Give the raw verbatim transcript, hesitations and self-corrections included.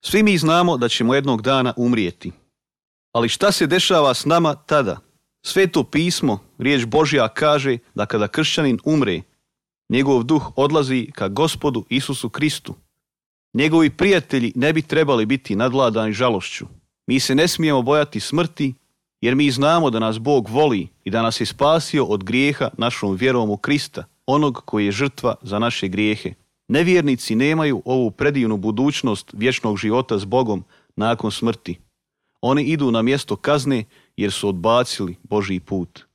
Svi mi znamo da ćemo jednog dana umrijeti. Ali šta se dešava s nama tada? Sveto pismo, riječ Božja kaže da kada kršćanin umre, njegov duh odlazi ka Gospodu Isusu Kristu. Njegovi prijatelji ne bi trebali biti nadvladani žalošću. Mi se ne smijemo bojati smrti, jer mi znamo da nas Bog voli i da nas je spasio od grijeha našom vjerom u Krista, onog koji je žrtva za naše grijehe. Nevjernici nemaju ovu predivnu budućnost vječnog života s Bogom nakon smrti. Oni idu na mjesto kazne jer su odbacili Božji put.